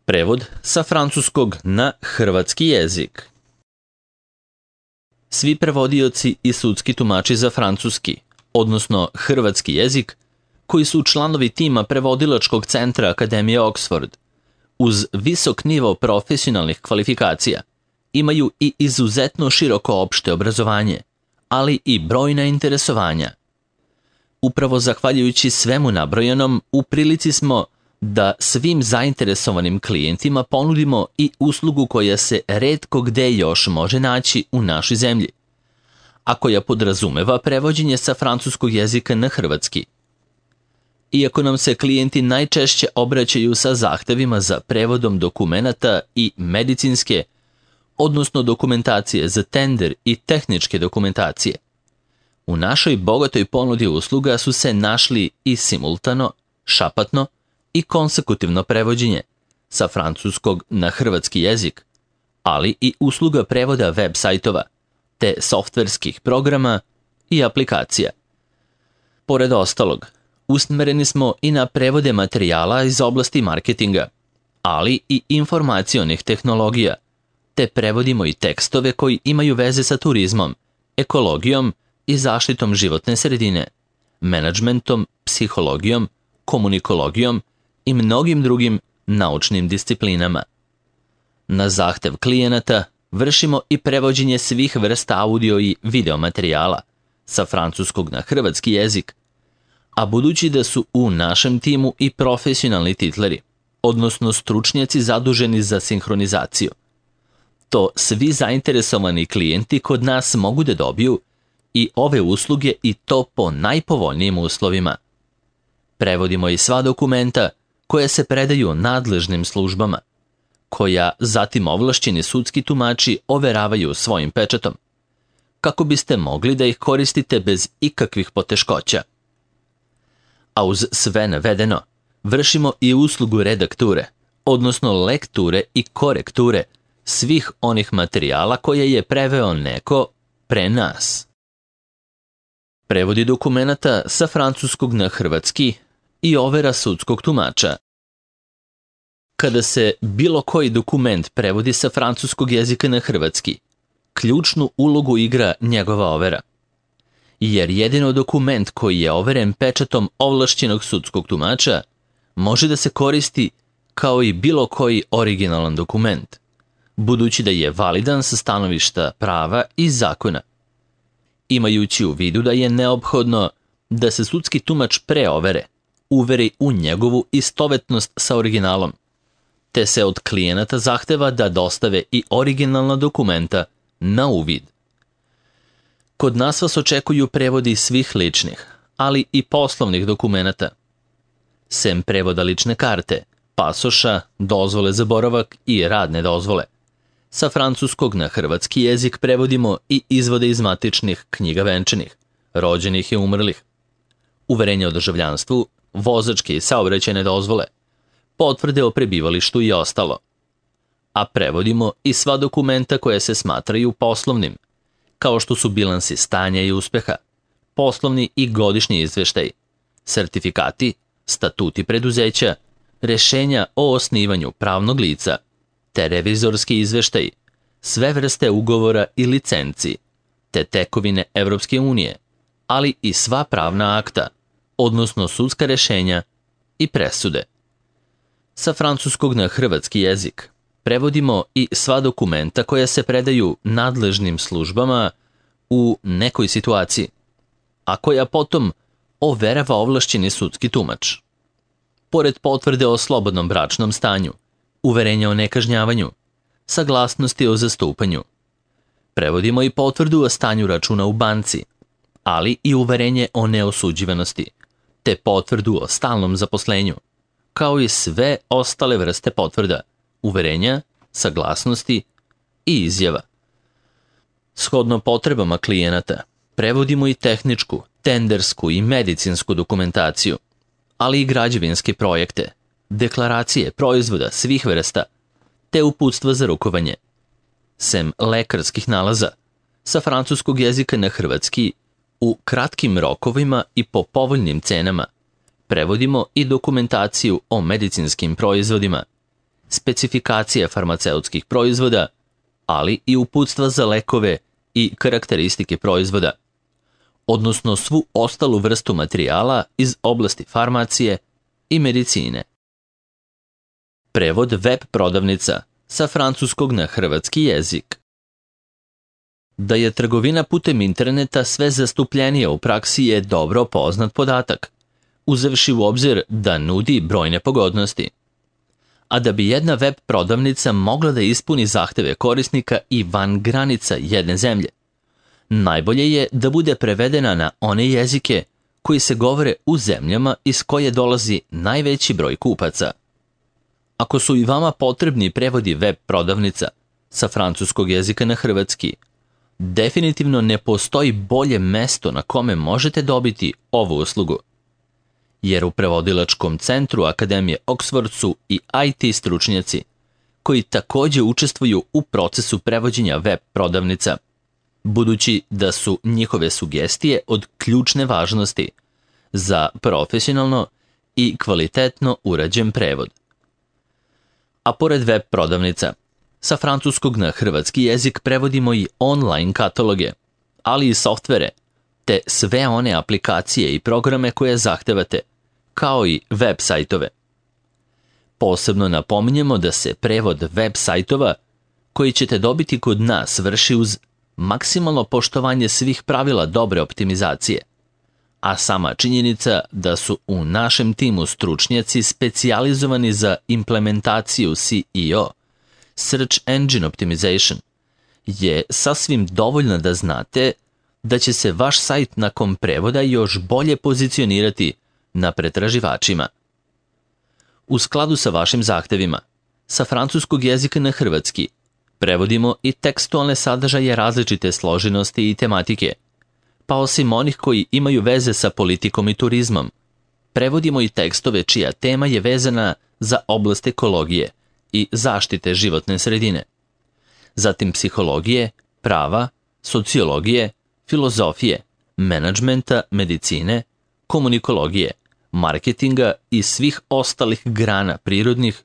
Prevod sa francuskog na hrvatski jezik. Svi prevodioci i sudski tumači za francuski, odnosno hrvatski jezik, koji su članovi tima prevodilačkog centra Akademije Oxford, uz visok nivo profesionalnih kvalifikacija, imaju i izuzetno široko opšte obrazovanje, ali i brojna interesovanja. Upravo zahvaljujući svemu nabrojenom, u prilici smo da svim zainteresovanim klijentima ponudimo i uslugu koja se retko gde još može naći u našoj zemlji, a koja podrazumeva prevođenje sa francuskog jezika na hrvatski. Iako nam se klijenti najčešće obraćaju sa zahtevima za prevodom dokumenata i medicinske, odnosno dokumentacije za tender i tehničke dokumentacije, u našoj bogatoj ponudi usluga su se našli i simultano, šapatno i konsekutivno prevođenje sa francuskog na hrvatski jezik, ali i usluga prevoda web sajtova, te softverskih programa i aplikacija. Pored ostalog, usmereni smo i na prevode materijala iz oblasti marketinga, ali i informacionih tehnologija, te prevodimo i tekstove koji imaju veze sa turizmom, ekologijom i zaštitom životne sredine, menadžmentom, psihologijom, komunikologijom i mnogim drugim naučnim disciplinama. Na zahtev klijenata vršimo i prevođenje svih vrsta audio i video materijala sa francuskog na hrvatski jezik, a budući da su u našem timu i profesionalni titleri, odnosno stručnjaci zaduženi za sinhronizaciju, to svi zainteresovani klijenti kod nas mogu da dobiju i ove usluge i to po najpovoljnijim uslovima. Prevodimo i sva dokumenta koja se predaju nadležnim službama, koja zatim ovlašćeni sudski tumači overavaju svojim pečatom, kako biste mogli da ih koristite bez ikakvih poteškoća. A uz sve navedeno, vršimo i uslugu redakture, odnosno lekture i korekture svih onih materijala koje je preveo neko pre nas. Prevodi dokumenata sa francuskog na hrvatski i overa sudskog tumača. Kada se bilo koji dokument prevodi sa francuskog jezika na hrvatski, ključnu ulogu igra njegova overa. Jer jedino dokument koji je overen pečatom ovlašćenog sudskog tumača može da se koristi kao i bilo koji originalan dokument, budući da je validan sa stanovišta prava i zakona. Imajući u vidu da je neophodno da se sudski tumač pre overe uveri u njegovu istovetnost sa originalom, te se od klijenata zahteva da dostave i originalna dokumenta na uvid. Kod nas vas očekuju prevodi svih ličnih, ali i poslovnih dokumenata. Sem prevoda lične karte, pasoša, dozvole za boravak i radne dozvole, sa francuskog na hrvatski jezik prevodimo i izvode iz matičnih knjiga venčanih, rođenih i umrlih, uverenje o državljanstvu, vozačke i saobraćajne dozvole, potvrde o prebivalištu i ostalo. A prevodimo i sva dokumenta koje se smatraju poslovnim, kao što su bilansi stanja i uspeha, poslovni i godišnji izveštaj, sertifikati, statuti preduzeća, rešenja o osnivanju pravnog lica, te revizorski izveštaj, sve vrste ugovora i licenci, te tekovine Evropske unije, ali i sva pravna akta, odnosno sudska rešenja i presude. Sa francuskog na hrvatski jezik prevodimo i sva dokumenta koja se predaju nadležnim službama u nekoj situaciji, a koja potom overava ovlašćeni sudski tumač. Pored potvrde o slobodnom bračnom stanju, uverenja o nekažnjavanju, saglasnosti o zastupanju, prevodimo i potvrdu o stanju računa u banci, ali i uverenje o neosuđivanosti, te potvrdu o stalnom zaposlenju, kao i sve ostale vrste potvrda, uverenja, saglasnosti i izjava. Shodno potrebama klijenata, prevodimo i tehničku, tendersku i medicinsku dokumentaciju, ali i građevinske projekte, deklaracije proizvoda svih vrsta, te uputstva za rukovanje. Sem lekarskih nalaza, sa francuskog jezika na hrvatski, u kratkim rokovima i po povoljnim cenama, prevodimo i dokumentaciju o medicinskim proizvodima, specifikacije farmaceutskih proizvoda, ali i uputstva za lekove i karakteristike proizvoda, odnosno svu ostalu vrstu materijala iz oblasti farmacije i medicine. Prevod web prodavnica sa francuskog na hrvatski jezik. Da je trgovina putem interneta sve zastupljenija u praksi je dobro poznat podatak, uzevši u obzir da nudi brojne pogodnosti. A da bi jedna web prodavnica mogla da ispuni zahteve korisnika i van granica jedne zemlje, najbolje je da bude prevedena na one jezike koji se govore u zemljama iz koje dolazi najveći broj kupaca. Ako su i vama potrebni prevodi web prodavnica sa francuskog jezika na hrvatski, definitivno ne postoji bolje mesto na kome možete dobiti ovu uslugu. Jer u prevodilačkom centru Akademije Oxford su i IT stručnjaci koji također učestvuju u procesu prevođenja web prodavnica, budući da su njihove sugestije od ključne važnosti za profesionalno i kvalitetno urađen prevod. A pored web prodavnica, sa francuskog na hrvatski jezik prevodimo i online kataloge, ali i softvere, te sve one aplikacije i programe koje zahtevate, kao i web sajtove. Posebno napominjemo da se prevod web sajtova koji ćete dobiti kod nas vrši uz maksimalno poštovanje svih pravila dobre optimizacije, a sama činjenica da su u našem timu stručnjaci specijalizovani za implementaciju SEO, Search Engine Optimization, je sasvim dovoljna da znate da će se vaš sajt nakon prevoda još bolje pozicionirati na pretraživačima. U skladu sa vašim zahtevima, sa francuskog jezika na hrvatski, prevodimo i tekstualne sadržaje različite složenosti i tematike, pa osim onih koji imaju veze sa politikom i turizmom, prevodimo i tekstove čija tema je vezana za oblast ekologije i zaštite životne sredine, zatim psihologije, prava, sociologije, filozofije, menadžmenta, medicine, komunikologije, marketinga i svih ostalih grana prirodnih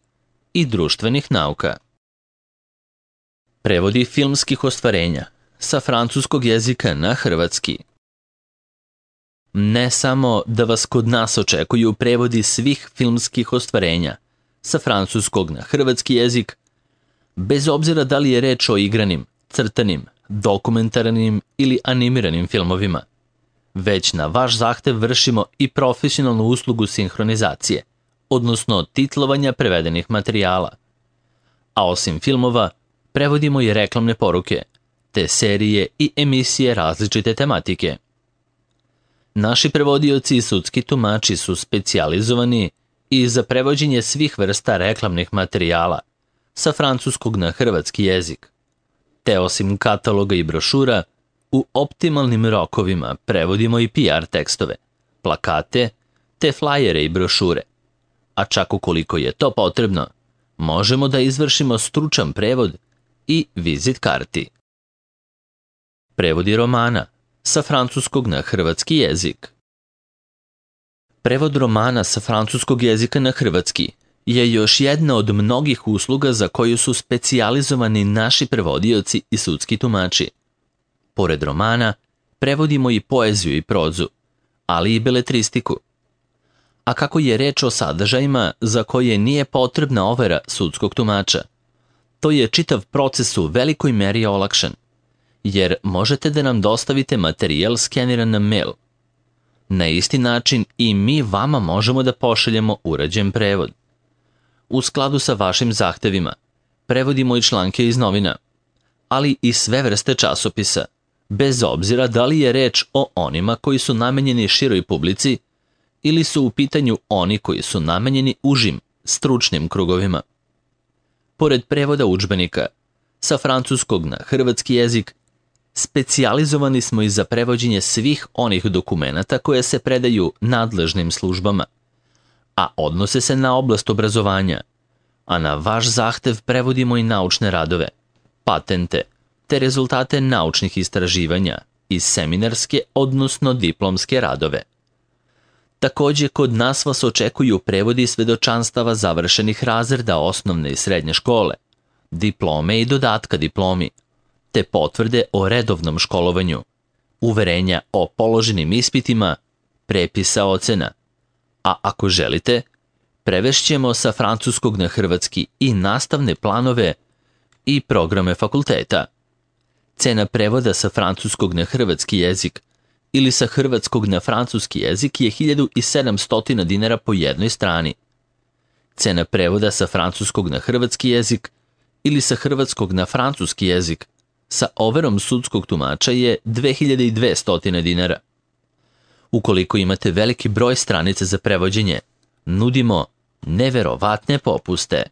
i društvenih nauka. Prevodi filmskih ostvarenja sa francuskog jezika na hrvatski. Ne samo da vas kod nas očekuju prevodi svih filmskih ostvarenja sa francuskog na hrvatski jezik, bez obzira da li je reč o igranim, crtanim, dokumentarnim ili animiranim filmovima, već na vaš zahtev vršimo i profesionalnu uslugu sinhronizacije, odnosno titlovanja prevedenih materijala. A osim filmova, prevodimo i reklamne poruke, te serije i emisije različite tematike. Naši prevodioci i sudski tumači su specijalizovani i za prevođenje svih vrsta reklamnih materijala sa francuskog na hrvatski jezik, te osim kataloga i brošura, u optimalnim rokovima prevodimo i PR tekstove, plakate, te flajere i brošure, a čak ukoliko je to potrebno, možemo da izvršimo stručan prevod i vizit karti. Prevodi romana sa francuskog na hrvatski jezik. Prevod romana sa francuskog jezika na hrvatski je još jedna od mnogih usluga za koju su specijalizovani naši prevodioci i sudski tumači. Pored romana, prevodimo i poeziju i prozu, ali i beletristiku. A kako je reč o sadržajima za koje nije potrebna overa sudskog tumača, to je čitav proces u velikoj meri olakšan, jer možete da nam dostavite materijal skeniran na mail. Na isti način i mi vama možemo da pošaljemo urađen prevod. U skladu sa vašim zahtevima, prevodimo i članke iz novina, ali i sve vrste časopisa, bez obzira da li je reč o onima koji su namenjeni široj publici ili su u pitanju oni koji su namenjeni užim, stručnim krugovima. Pored prevoda udžbenika sa francuskog na hrvatski jezik, specijalizovani smo i za prevođenje svih onih dokumenata koje se predaju nadležnim službama, a odnose se na oblast obrazovanja, a na vaš zahtev prevodimo i naučne radove, patente, te rezultate naučnih istraživanja i seminarske, odnosno diplomske radove. Takođe, kod nas vas očekuju prevodi svedočanstava završenih razreda osnovne i srednje škole, diplome i dodatka diplomi, te potvrde o redovnom školovanju, uverenja o položenim ispitima, prepisa ocena. A ako želite, prevešćemo sa francuskog na hrvatski i nastavne planove i programe fakulteta. Cena prevoda sa francuskog na hrvatski jezik ili sa hrvatskog na francuski jezik je 1700 dinara po jednoj strani. Cena prevoda sa francuskog na hrvatski jezik ili sa hrvatskog na francuski jezik sa overom sudskog tumača je 2200 dinara. Ukoliko imate veliki broj stranica za prevođenje, nudimo neverovatne popuste.